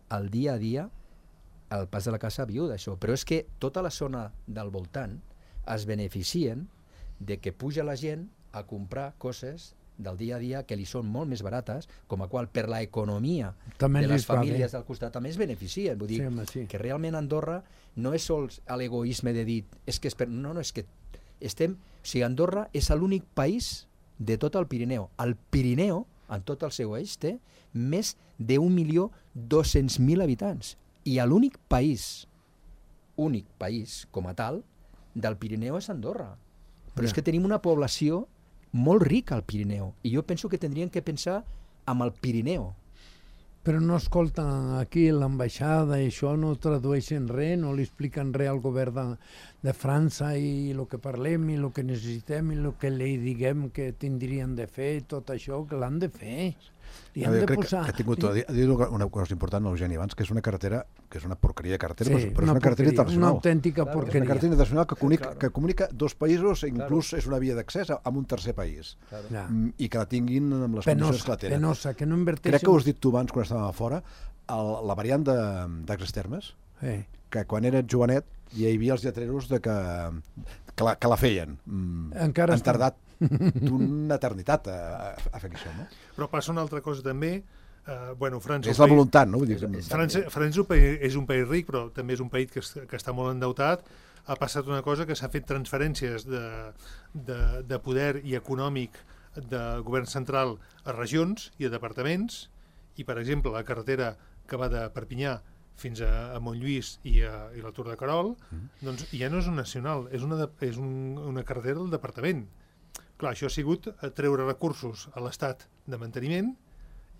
el Pas de la Casa viu d'això, però és que tota la zona del voltant es beneficien de que puja la gent a comprar coses del dia a dia que li són molt més barates, com a qual per l'economia de les famílies del costat també es beneficien. Vull dir que realment Andorra no és sols l'egoisme de dir és que Andorra és l'únic país de tot el Pirineu. El Pirineu, en tot el seu eix, té més de 1.200.000 habitants. I l'únic país com a tal del Pirineu és Andorra. Però és que tenim una població molt rica al Pirineu, i jo penso que tindrien que pensar amb el Pirineu. Però no escolten aquí l'ambaixada i això, no tradueixen res, no li expliquen res al govern de França i el que parlem i el que necessitem i el que li diguem que tindrien de fer, tot això que l'han de fer. Li han de posar... Ha dit una cosa important, Eugeni, abans, que és una carretera, que és una porqueria de carretera, Sí, però és una carretera internacional. una autèntica És una porqueria. carretera internacional Claro. que comunica dos països, inclús és una via d'accés amb un tercer país. Ja. I que la tinguin amb les condicions que la tenen. Penosa, que no inverteixen... Crec que ho has dit tu abans, quan estàvem a fora, la variant d'Axes Termes, que quan era jovenet hi havia els lletreros de que la feien. Encara han tardat d'una eternitat a fer això, no? Però passa una altra cosa també. França... És la voluntat, no? Vull dir, França és un país ric, però també és un país que està molt endeutat. Ha passat una cosa que s'ha fet transferències de poder i econòmic del govern central a regions i a departaments, i, per exemple, la carretera que va de Perpinyà fins a Montlluís i la Tour de Querol, doncs ja no és una nacional, és una carretera del departament. Clar, això ha sigut treure recursos a l'Estat de manteniment,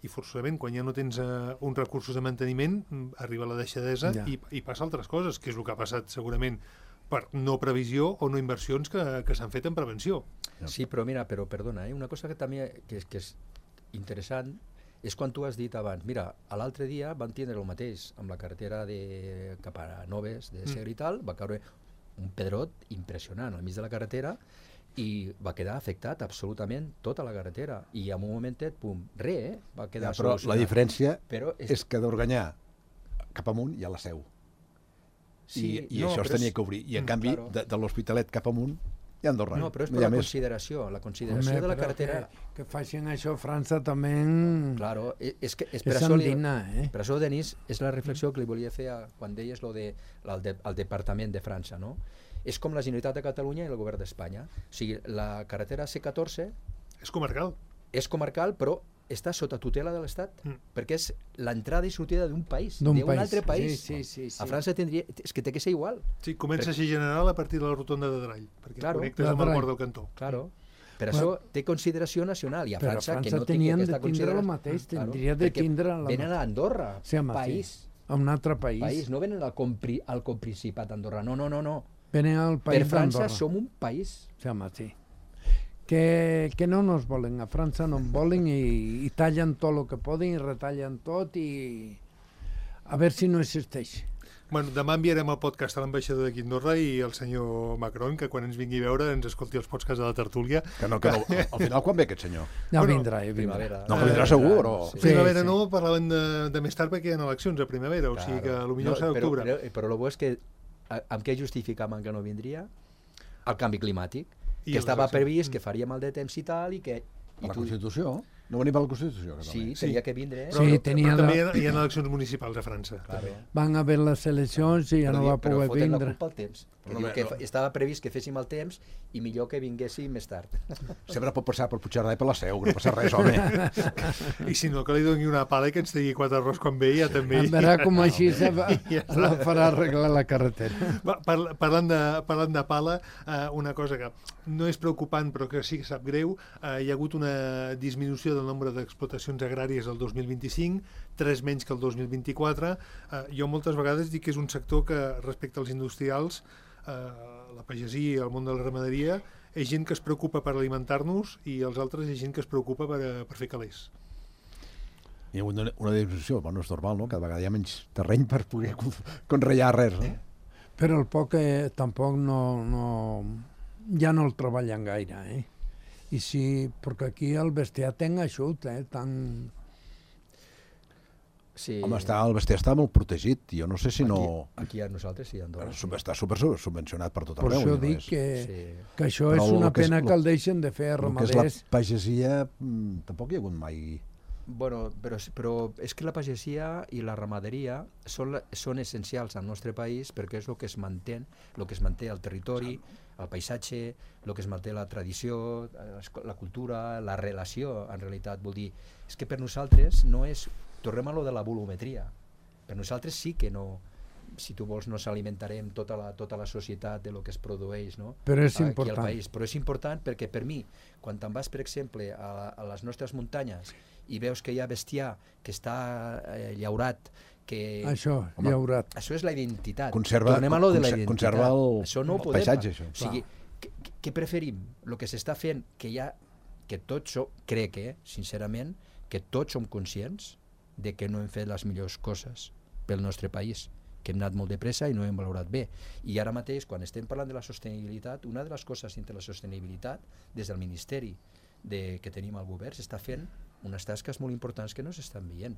i forçosament, quan ja no tens uns recursos de manteniment, arriba la deixadesa i passa altres coses, que és el que ha passat segurament per no previsió o no inversions que s'han fet en prevenció. Sí, però mira, perdona, una cosa que també que és interessant és quan tu has dit abans, mira, l'altre dia van tindre el mateix amb la carretera cap a Noves, de Segre i tal, va caure un pedrot impressionant al mig de la carretera i va quedar afectat absolutament tota la carretera i en un momentet, pum, va quedar però solucionat. la diferència però és que d'Organyà cap amunt hi ha la Seu. Sí, I això es tenia que obrir. I en canvi, claro. de l'Hospitalet cap amunt hi ha Andorra. No, però és per la consideració. La consideració de la carretera... Que facin això a França també... Claro, és per és això... endinar, Per això, Denis, és la reflexió que li volia fer quan deies el Departament de França, no? És com la Generalitat de Catalunya i el Govern d'Espanya. O sigui, la carretera C14... És comarcal. És comarcal, però està sota tutela de l'Estat, perquè és l'entrada i sortida d'un país, D'un altre país. Sí. A França tindria... És que té que ser igual. Sí, comença a ser general a partir de la rotonda de Drall, perquè connectes amb el port del Cantó. Claro. Per això té consideració nacional, i a França, que no tenien tingui aquesta de tindre el mateix, tindria de tindre... Venen a Andorra, país. A un altre país. No venen al Coprincipat d'Andorra, no. Venen al país per França d'Andorra. som un país. Sí. Que no nos volen, a França no en volen i tallen tot el que poden i retallen tot i a veure si no existeix. Bueno, demà enviarem el podcast a l'ambaixador d'aquí a Andorra i el senyor Macron, que quan ens vingui a veure ens escolti els podcasts de la tertúlia. Que no, al final quan ve aquest senyor? Ja vindrà. Primavera. No, que vindrà segur, però... Primavera no, parlaven de més tard perquè hi ha eleccions a primavera, o sigui que potser serà octubre. Però el bo és que amb què justificaven que no vindria? El canvi climàtic. Que estava previst que faríem el de temps i tal, i que... La Constitució? No venim a la Constitució? Sí, tenia que vindre. Però també hi ha eleccions municipals a França. Van haver les eleccions i ja no va poder vindre. Però foten la culpa al temps. Estava previst que féssim el temps i millor que vinguéssim més tard. Sempre pot passar per Puigcerdà i per la Seu, que no passa res, home. I si no, que li doni una pala i que ens tegui 4 arròs quan ve, ja també... A veure com així la farà arreglar la carretera. Parlant de pala, una cosa que no és preocupant però que sí que sap greu, hi ha hagut una disminució del nombre d'explotacions agràries el 2025, 3 menys que el 2024. Jo moltes vegades dic que és un sector que, respecte als industrials, la pagesia i el món de la ramaderia, és gent que es preocupa per alimentar-nos i els altres és gent que es preocupa per fer calés. Hi ha una disminució, bueno, és normal, no? Cada vegada hi ha menys terreny per poder conrear res, no? Però el poc tampoc ja no el treballen gaire, I sí, perquè aquí el bestiar té eixut, tan... Sí. Home, el bestiar està molt protegit, jo no sé si no... Aquí a nosaltres sí, a Andorra. Està super subvencionat per tot arreu. Per això dic que això és una pena que el deixen de fer a ramaders. El que és la pagesia, tampoc hi ha hagut mai... Bueno, però és que la pagesia i la ramaderia són essencials al nostre país perquè és el que es manté el territori, el paisatge, el que es manté la tradició, la cultura, la relació, en realitat. Vol dir, és que per nosaltres no és... Tornem a lo de la volumetria. Per nosaltres sí que no... Si tu vols, nos alimentarem tota la societat de lo que es produeix, no? Però és aquí important. Al país. Però és important perquè per mi, quan te'n vas, per exemple, a les nostres muntanyes i veus que hi ha bestiar que està llaurat, que... llaurat. Això és la identitat. Tornem a lo de la identitat. Conserva el paisatge, això. O sigui, què preferim? El que s'està fent, que tot crec, sincerament, que tots som conscients de que no hem fet les millors coses pel nostre país, que hem anat molt de pressa i no hem valorat bé. I ara mateix, quan estem parlant de la sostenibilitat, una de les coses dintre la sostenibilitat, des del Ministeri que tenim al govern, s'està fent unes tasques molt importants que no s'estan veient,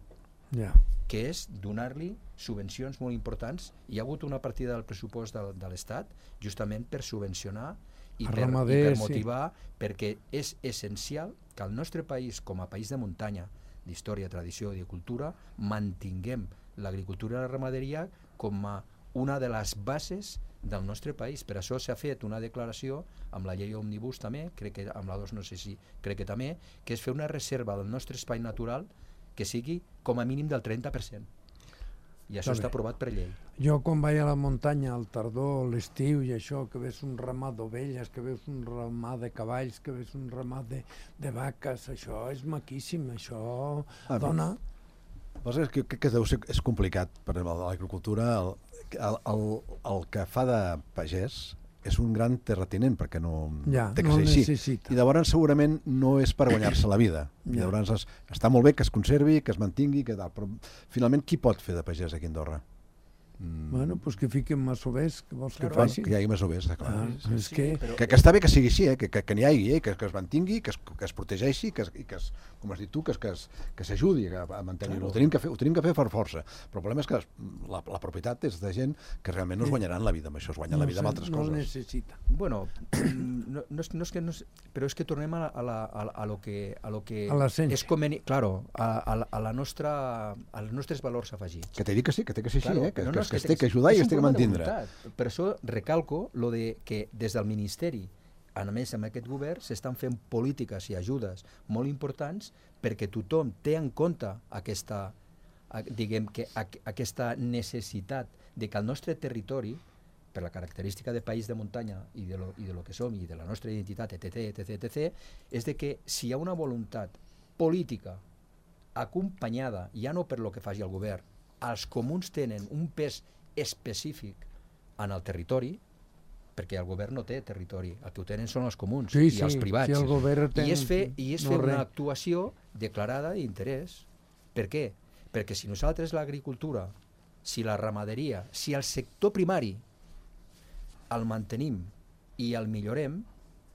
que és donar-li subvencions molt importants. Hi ha hagut una partida del pressupost de l'Estat justament per subvencionar i per motivar, perquè és essencial que el nostre país, com a país de muntanya, d'història, tradició i de cultura, mantinguem l'agricultura i la ramaderia com a una de les bases del nostre país. Per això s'ha fet una declaració amb la llei Òmnibus també, crec que amb la 2 no sé si crec que també, que és fer una reserva del nostre espai natural que sigui com a mínim del 30%. I això està aprovat per llei. Jo quan vaig a la muntanya al tardor, l'estiu i això, que veus un ramat d'ovelles, que veus un ramat de cavalls, que veus un ramat de vaques, això és maquíssim, això dona... Que deu ser és complicat per l'agricultura. El que fa de pagès és un gran terratinent, perquè no té que ser així. I llavors segurament no és per guanyar-se la vida. Llavors està molt bé que es conservi, que es mantingui, però finalment qui pot fer de pagès aquí a Andorra? Bueno, doncs que fiquin masovers, que vols que facin? Que hi hagi masovers, està clar. Que està bé que sigui així, que n'hi hagi, que es mantingui, que es protegeixi, i que, com has dit tu, que s'ajudi a mantenir-ho. Ho tenim que fer per força. Però el problema és que la propietat és de gent que realment no es guanyaran la vida amb això, es guanyen la vida amb altres coses. No necessita. Bueno, però és que tornem a lo que és convenient, claro, a les nostres valors afegits. Que t'he dit que sí, que té que ser així, que es té que ajudar i es té que mantindre. Per això recalco lo de que des del Ministeri, a més amb aquest govern, s'estan fent polítiques i ajudes molt importants perquè tothom té en compte aquesta necessitat de que el nostre territori, per la característica de país de muntanya i de lo que som i de la nostra identitat, etc., és de que si hi ha una voluntat política acompanyada, ja no per lo que faci el govern, els comuns tenen un pes específic en el territori, perquè el govern no té territori, el que ho tenen són els comuns i els privats. I és fer una actuació declarada d'interès. Per què? Perquè si nosaltres l'agricultura, si la ramaderia, si el sector primari el mantenim i el millorem,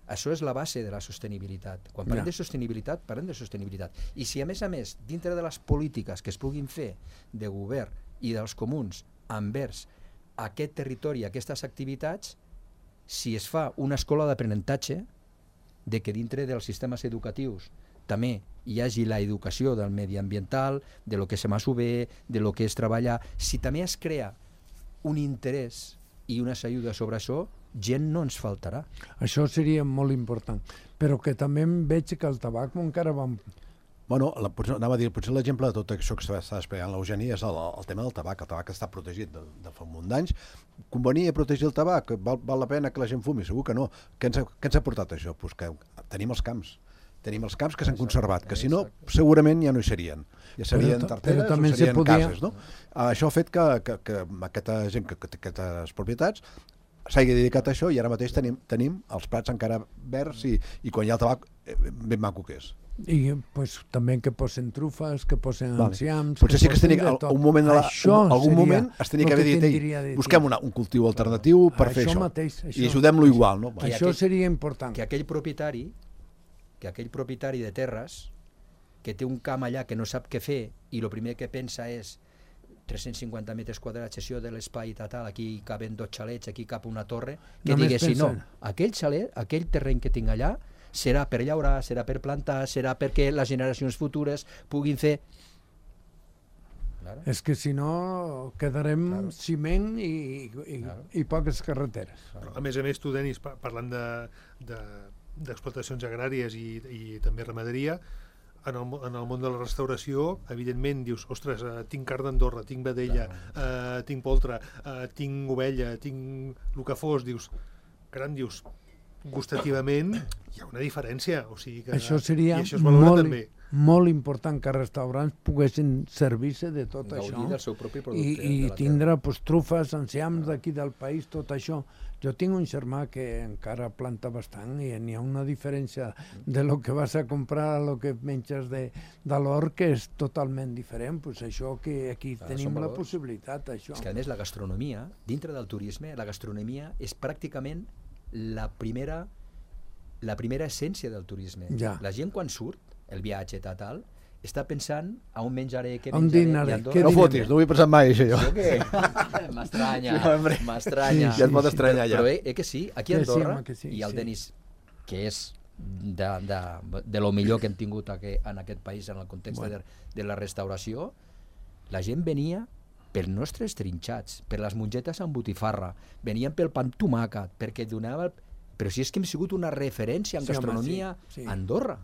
això és la base de la sostenibilitat. Quan parlem de sostenibilitat, parlem de sostenibilitat. I si a més, dintre de les polítiques que es puguin fer de govern i dels comuns envers aquest territori, aquestes activitats, si es fa una escola d'aprenentatge, de que dintre dels sistemes educatius també hi hagi l'educació del mediambiental, de lo que se m'ha bé, de lo que és treballar, si també es crea un interès i unes ajudes sobre això, gent no ens faltarà. Això seria molt important, però que també veig que el tabac encara va... Bueno, anava a dir, potser l'exemple de tot això que està explicant l'Eugeni és el tema del tabac. El tabac està protegit de fa un munt d'anys. Convenia protegir el tabac? Val la pena que la gent fumi? Segur que no. Què ens ha portat això? Pues que tenim els camps. Tenim els camps que s'han conservat, que si no, segurament ja no hi serien. Ja serien tarteres o serien cases, no? Això ha fet que aquesta gent, aquestes propietats, s'hagi dedicat a això i ara mateix tenim els prats encara verds i quan hi ha el tabac ben maco que és. I pues, també que posen trufes, que posen enciams... Potser sí que es tenia, algun moment es tenia que haver dit busquem un cultiu alternatiu per fer això i ajudem-lo igual. Això seria important. Que aquell propietari de terres que té un camp allà que no sap què fer i el primer que pensa és 350 metres quadrats, això de l'espai tal, aquí caben 2 xalets, aquí cap una torre, que diguessin, no, aquell xalet, aquell terreny que tinc allà, serà per llaurar, serà per plantar, serà perquè les generacions futures puguin fer... És que si no quedarem ciment i poques carreteres. A més, tu, Denis, parlant d'explotacions agràries i també ramaderia, en el món de la restauració, evidentment, dius, ostres, tinc carn d'Andorra, tinc vedella, tinc poltre, tinc ovella, tinc el que fos, dius, caram, dius, gustativament hi ha una diferència. O sigui que, això seria i això es valora també. Molt important que els restaurants poguessin servir-se de tot Gaudir això del seu propi producte. i tindre trufes, enciams d'aquí del país, tot això. Jo tinc un germà que encara planta bastant i n'hi ha una diferència de lo que vas a comprar a lo que menges de l'hort que és totalment diferent. Pues això que aquí tenim la possibilitat, això. És que a més la gastronomia, dintre del turisme, la gastronomia és pràcticament la primera essència del turisme. Ja. La gent quan surt, el viatge tal, està pensant a on menjaré, què On menjaré, dinaré, i Andorra... què No fotis, no ho he pensat mai, això, jo. Sí o què? M'estranya. Ja et pot estranyar, ja. Però que sí, aquí a Que sí, Andorra, home, que sí, i el sí. Denis, que és de lo millor que hem tingut en aquest país en el context de la restauració, la gent venia pels nostres trinxats, per les mongetes amb botifarra, venien pel pa amb tomàquet, perquè donava... Però si és que hem sigut una referència en gastronomia a Andorra.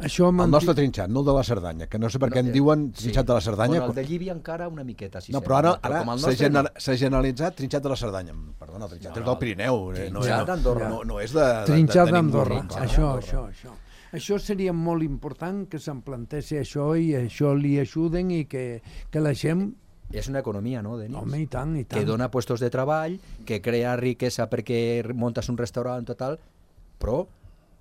Això El nostre trinxat, no el de la Cerdanya, que no sé per què en diuen trinxat de la Cerdanya. Bueno, el de Llívia encara una miqueta, si No, però ara s'ha s'ha generalitzat trinxat de la Cerdanya. Perdona, el trinxat és del Pirineu. Trinxat d'Andorra. No és de trinxat ningú. d'Andorra, això. Això seria molt important que se'n plantessi això i això li ajuden i que la gent... És una economia, no, Denis? Home, i tant. Que dona puestos de treball, que crea riquesa perquè muntes un restaurant total, però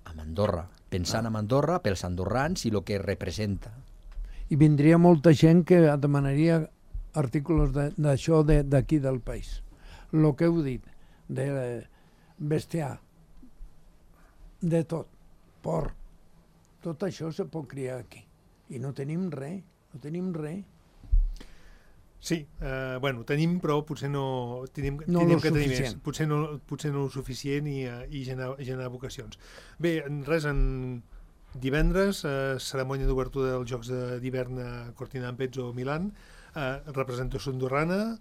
amb Andorra, pensant en Andorra, pels andorrans i el que representa. I vindria molta gent que demanaria articles d'això d'aquí del país. El que heu dit, de bestiar, de tot, porc, tot això se pot criar aquí. I no tenim res, Sí, bueno, tenim, però potser no tenim que tenir més. Potser no el suficient i generar vocacions. Bé, res, en divendres, cerimònia d'obertura dels Jocs d'hivern a Cortina d'Ampezzo, Milan, representació andorrana,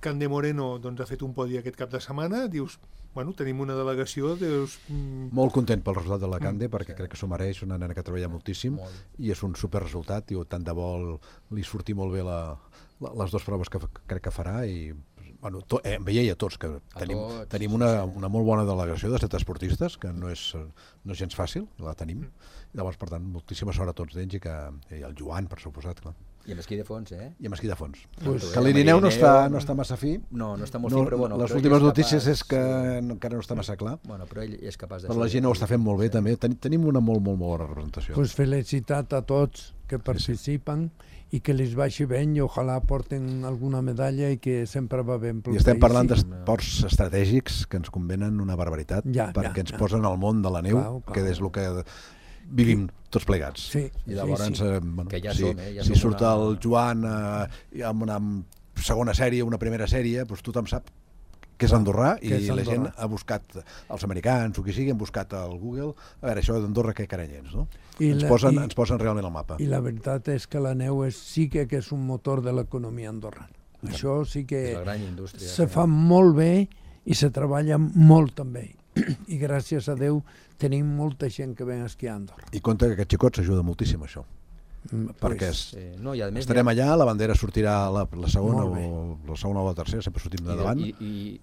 Cande Moreno ha fet un podi aquest cap de setmana, dius, bueno, tenim una delegació, dius... Molt content pel resultat de la Cande, perquè crec que s'ho mereix, una nena que treballa moltíssim, i és un super resultat, i tant de bo li surti molt bé les dues proves que crec que farà, i bueno, em veia a tots que tenim una molt bona delegació de 7 esportistes, que no és gens fàcil, la tenim. Llavors, per tant, moltíssima sort a tots d'ells i el Joan, per suposat, clar. I amb esquí de fons, eh? I amb esquí de fons. Que l'Irineu no està massa fi. No està molt fi, però bueno... Les últimes notícies és que encara no està massa clar. Bueno, però ell és capaç de... Però la gent ho està fent molt bé, també. Tenim una molt bona representació. Pues felicitat a tots que participen i que les vagi bé i ojalà porten alguna medalla i que sempre va ben pel país. I estem parlant d'esports estratègics que ens convenen una barbaritat, perquè ens posen al món de la neu, que és el que vivim tots plegats. I llavors, si surt el Joan amb una segona sèrie, una primera sèrie, doncs tothom sap que és andorrà i la gent ha buscat, els americans o qui sigui, han buscat al Google, a veure, això d'Andorra què caranyens, no? Ens posen realment al mapa. I la veritat és que la neu sí que és un motor de l'economia andorrana. Això sí que se fa molt bé i se treballa molt també. I gràcies a Déu tenim molta gent que ven a esquiar a Andorra. I compte que aquest xicot s'ajuda moltíssim, això. Perquè estarem allà, la bandera sortirà la segona o la tercera, sempre sortim de davant. I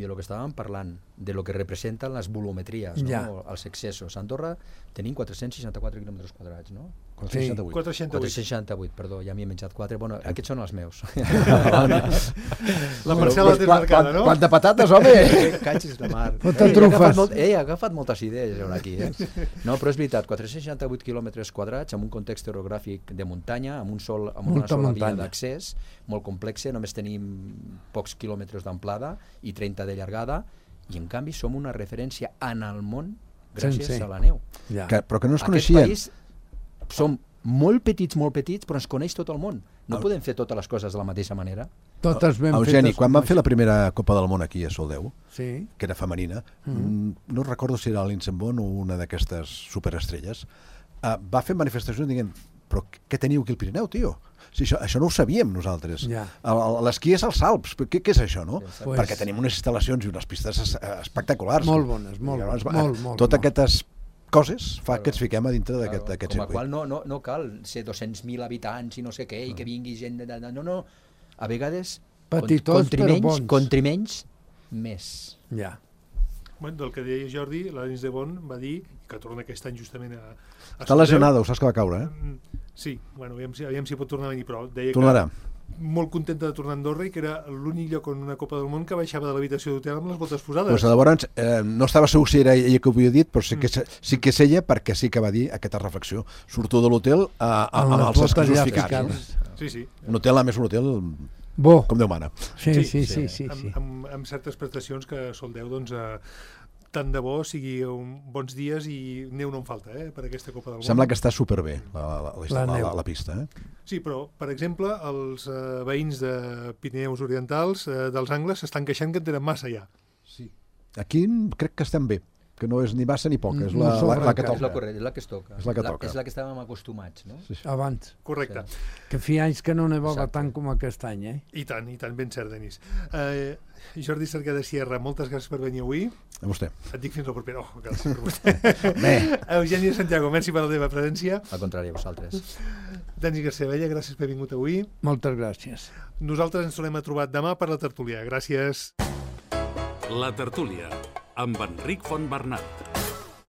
de lo que estàvem parlant, de lo que representen les volumetries, els excessos. A Andorra tenim 464 quilòmetres quadrats, no? 468, perdó, ja m'hi he menjat 4. Bueno, aquests són els meus. La parcel·la té marcada, no? Quant de patates, home! Catxis de mar. He agafat moltes idees aquí, No, però és veritat, 468 quilòmetres quadrats amb un context orogràfic de muntanya, amb una sola via d'accés, molt complexa, només tenim pocs quilòmetres d'amplada i 30 de llargada, i en canvi som una referència en el món gràcies a la neu. Però que no es coneixien. Aquest país som molt petits, però ens coneix tot el món. No podem fer totes les coses de la mateixa manera. Totes ben fetes. Eugeni, quan van fer la primera Copa del Món aquí a Soldeu, que era femenina, no recordo si era l'Insenbon o una d'aquestes superestrelles, va fer manifestacions dient, però què teniu aquí al Pirineu, tio? Si això no ho sabíem nosaltres. L'esquí és als Alps. Què és això, no? Perquè tenim unes instal·lacions i unes pistes espectaculars. Molt bones, molt. Totes aquestes coses fa que ens fiquem a dintre d'aquest circuit. Com a qual no cal ser 200.000 habitants i no sé què, i que vingui gent... No. A vegades, petitons, però bons. Contri menys, més. Bueno, del que deia Jordi, l'Anis de Bon va dir, que torna aquest any justament a Està lesionada, ho saps que va caure, Sí, bueno, aviam si pot tornar a venir, però deia Tornarà. que molt contenta de tornar a Andorra i que era l'únic lloc en una Copa del Món que baixava de l'habitació d'hotel amb les botes posades. Pues llavors, no estava segur si era ella que ho havia dit, però sí que és ella, perquè sí que va dir aquesta reflexió. Surto de l'hotel amb els esquisos ficats. Sí. Un hotel, a més, un hotel Bo. com Déu mana. Sí. Amb certes prestacions que soldeu, doncs, tant de bo sigui bons dies i neu no en falta, per aquesta Copa del Món. Sembla que està superbé la pista. Sí, però, per exemple, els veïns de Pirineus Orientals, dels Angles, s'estan queixant que en tenen massa ja. Sí. Aquí crec que estem bé, que no és ni massa ni poca, és la que És la toca. correcta, és la que es toca. És la que toca. És la que estàvem acostumats, no? Sí. Abans. Correcte. Que feia anys que no nevava tant com aquest any, I tant, ben cert, Denis. Jordi Cercada Sierra, moltes gràcies per venir avui. A vostè. Et dic fins la propera. Gràcies per vostè. Eugènia Santiago, merci per la teva presència. Al contrari, a vosaltres. Denis García-Bella, gràcies per haver vingut avui. Moltes gràcies. Nosaltres ens tornem a trobar demà per la tertúlia. Gràcies. La tertúlia, amb Enric Fontbernat.